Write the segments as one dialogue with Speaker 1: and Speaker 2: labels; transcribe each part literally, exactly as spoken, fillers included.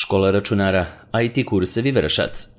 Speaker 1: Škola računara I T kursevi Vršac.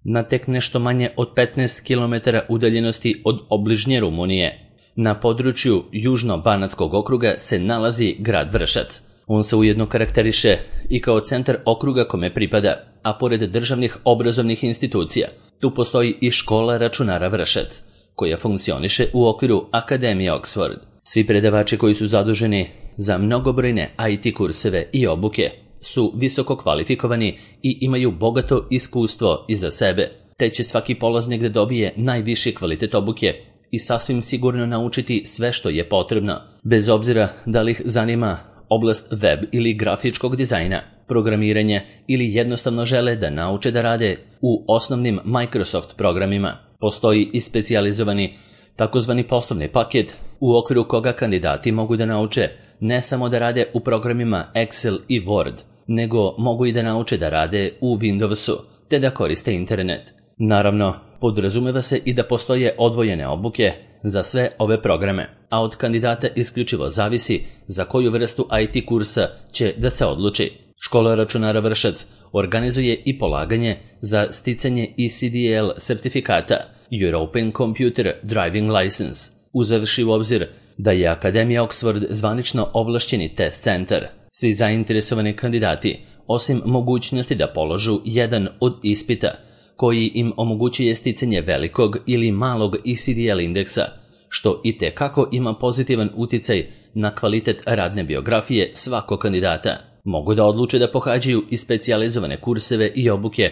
Speaker 1: Na tek nešto manje od petnaest kilometara udaljenosti od obližnje Rumunije, na području Južno-Banatskog okruga se nalazi grad Vršac. On se ujedno karakteriše i kao centar okruga kome pripada, a pored državnih obrazovnih institucija, tu postoji i škola računara Vršac, koja funkcioniše u okviru Akademije Oxford. Svi predavači koji su zaduženi za mnogobrojne I T kurseve i obuke su visoko kvalifikovani i imaju bogato iskustvo iza sebe, te će svaki polaznik da dobije najviši kvalitet obuke i sasvim sigurno naučiti sve što je potrebno, bez obzira da li ih zanima oblast web ili grafičkog dizajna, programiranje ili jednostavno žele da nauče da rade u osnovnim Microsoft programima. Postoji i specijalizovani takozvani poslovni paket u okviru koga kandidati mogu da nauče ne samo da rade u programima Excel i Word, nego mogu i da nauče da rade u Windowsu, te da koriste internet. Naravno, podrazumeva se i da postoje odvojene obuke za sve ove programe, a od kandidata isključivo zavisi za koju vrstu I T kursa će da se odluči. Škola računara Vršac organizuje i polaganje za sticanje E C D L sertifikata European Computer Driving License, uzevši u obzir da je Akademija Oxford zvanično ovlašćeni test centar. Svi zainteresovani kandidati, osim mogućnosti da položu jedan od ispita, koji im omogućuje sticanje velikog ili malog E C D L indeksa, što i tekako ima pozitivan uticaj na kvalitet radne biografije svakog kandidata. Mogu da odluče da pohađaju i specijalizovane kurseve i obuke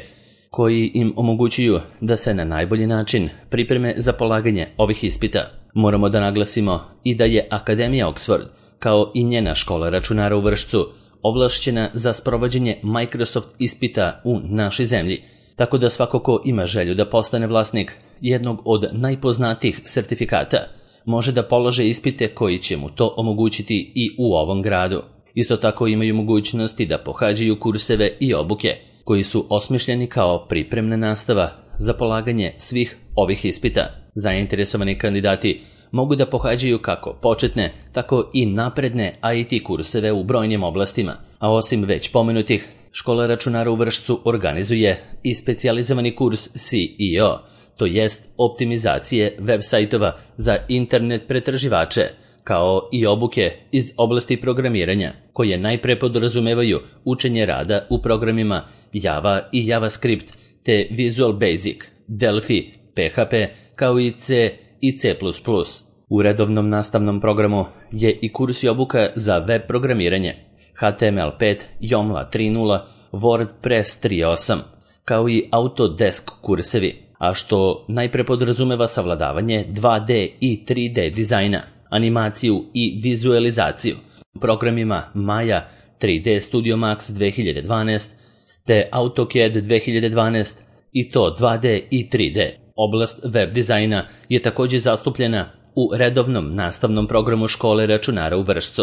Speaker 1: koji im omogućuju da se na najbolji način pripreme za polaganje ovih ispita. Moramo da naglasimo i da je Akademija Oxford, kao i njena škola računara u Vršcu, ovlašćena za sprovođenje Microsoft ispita u našoj zemlji, tako da svako ko ima želju da postane vlasnik jednog od najpoznatijih sertifikata može da polože ispite koji će mu to omogućiti i u ovom gradu. Isto tako imaju mogućnosti da pohađaju kurseve i obuke koji su osmišljeni kao pripremna nastava za polaganje svih ovih ispita. Zainteresovani kandidati mogu da pohađaju kako početne, tako i napredne I T kurseve u brojnim oblastima, a osim već pomenutih, škola računara u Vršcu organizuje i specijalizovani kurs C E O, to jest optimizacije web sajtova za internet pretraživače, kao i obuke iz oblasti programiranja, koje najpre podrazumevaju učenje rada u programima Java i JavaScript, te Visual Basic, Delphi, P H P, kao i C i C plus plus. U redovnom nastavnom programu je i kurs i obuka za web programiranje, H T M L pet, Joomla tri nula, WordPress tri osam, kao i Autodesk kursevi, a što najpre podrazumeva savladavanje dva D i tri D dizajna, animaciju i vizualizaciju u programima Maya, tri D Studio Max dve hiljade dvanaest, te AutoCAD dve hiljade dvanaest i to dva D i tri D. Oblast web dizajna je također zastupljena u redovnom nastavnom programu škole računara u Vršcu.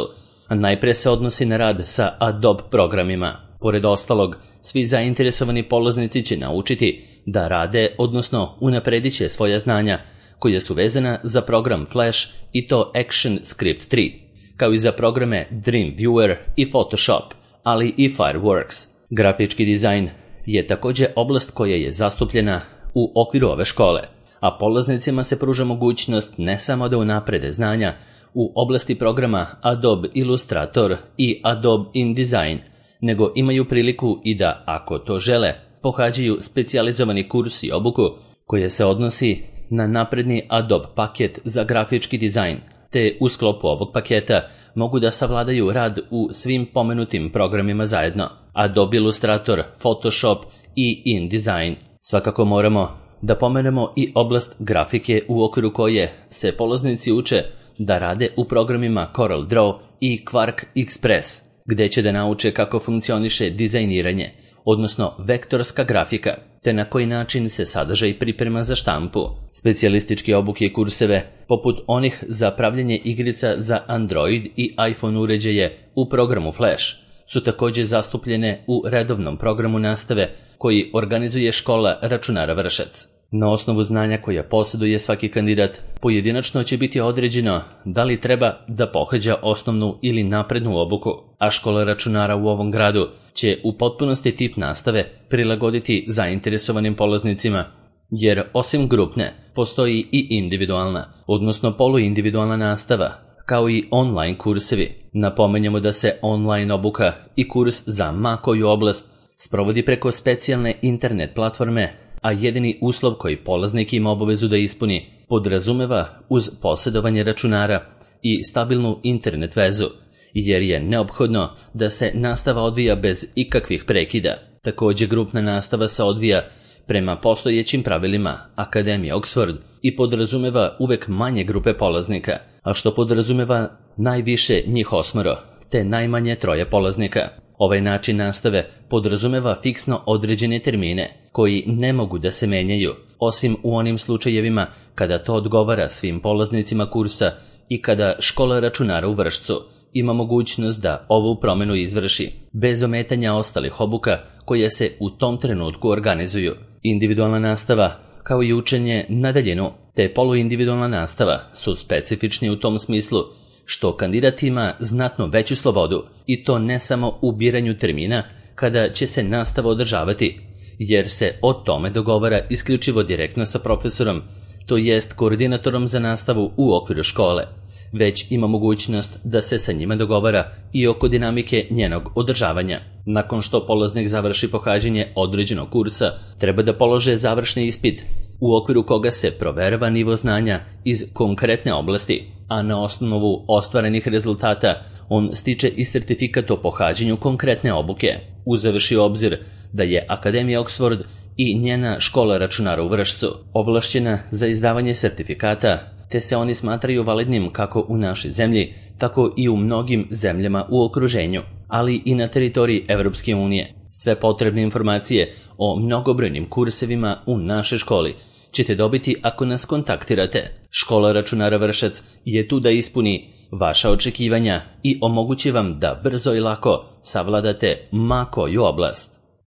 Speaker 1: Najpre se odnosi na rad sa Adobe programima. Pored ostalog, svi zainteresovani polaznici će naučiti da rade, odnosno unapredit će svoja znanja koja su vezana za program Flash i to ActionScript tri, kao i za programe Dreamweaver i Photoshop, ali i Fireworks. Grafički dizajn je također oblast koja je zastupljena u okviru ove škole, a polaznicima se pruža mogućnost ne samo da unaprede znanja u oblasti programa Adobe Illustrator i Adobe InDesign, nego imaju priliku i da, ako to žele, pohađaju specijalizovani kurs i obuku koja se odnosi na napredni Adobe paket za grafički dizajn, te u sklopu ovog paketa mogu da savladaju rad u svim pomenutim programima zajedno, Adobe Illustrator, Photoshop i InDesign. Svakako moramo da pomenemo i oblast grafike u okviru koje se polaznici uče da rade u programima CorelDRAW i Quark Express, gde će da nauče kako funkcioniše dizajniranje, odnosno vektorska grafika, te na koji način se sadržaj priprema za štampu. Specijalističke obuke i kurseve, poput onih za pravljanje igrica za Android i iPhone uređaje u programu Flash, su također zastupljene u redovnom programu nastave koji organizuje škola računara Vršac. Na osnovu znanja koja posjeduje svaki kandidat, pojedinačno će biti određeno da li treba da pohađa osnovnu ili naprednu obuku, a škola računara u ovom gradu će u potpunosti tip nastave prilagoditi zainteresovanim polaznicima, jer osim grupne postoji i individualna, odnosno poluindividualna nastava, kao i online kursevi. Napomenjamo da se online obuka i kurs za ma koju oblast sprovodi preko specijalne internet platforme, a jedini uslov koji polaznik ima obavezu da ispuni podrazumeva uz posjedovanje računara i stabilnu internet vezu, jer je neophodno da se nastava odvija bez ikakvih prekida. Također grupna nastava se odvija prema postojećim pravilima Akademije Oxford i podrazumeva uvek manje grupe polaznika, a što podrazumeva najviše njih osmoro, te najmanje troje polaznika. Ovaj način nastave podrazumeva fiksno određene termine koji ne mogu da se menjaju, osim u onim slučajevima kada to odgovara svim polaznicima kursa i kada škola računara u Vršcu ima mogućnost da ovu promjenu izvrši, bez ometanja ostalih obuka koje se u tom trenutku organizuju. Individualna nastava, kao i učenje na daljinu, te poluindividualna nastava su specifični u tom smislu što kandidat ima znatno veću slobodu, i to ne samo u biranju termina kada će se nastava održavati, jer se o tome dogovara isključivo direktno sa profesorom, to jest koordinatorom za nastavu u okviru škole, već ima mogućnost da se sa njima dogovara i oko dinamike njenog održavanja. Nakon što polaznik završi pohađanje određenog kursa, treba da polože završni ispit, u okviru koga se proverava nivo znanja iz konkretne oblasti, a na osnovu ostvarenih rezultata on stiče i sertifikat o pohađanju konkretne obuke, uzevši u obzir da je Akademija Oxford i njena škola računara u Vršcu ovlašćena za izdavanje sertifikata, te se oni smatraju validnim kako u našoj zemlji, tako i u mnogim zemljama u okruženju, ali i na teritoriji Evropske unije. Sve potrebne informacije o mnogobrojnim kursevima u našoj školi ćete dobiti ako nas kontaktirate. Škola računara Vršac je tu da ispuni vaša očekivanja i omogući vam da brzo i lako savladate ma koju oblast.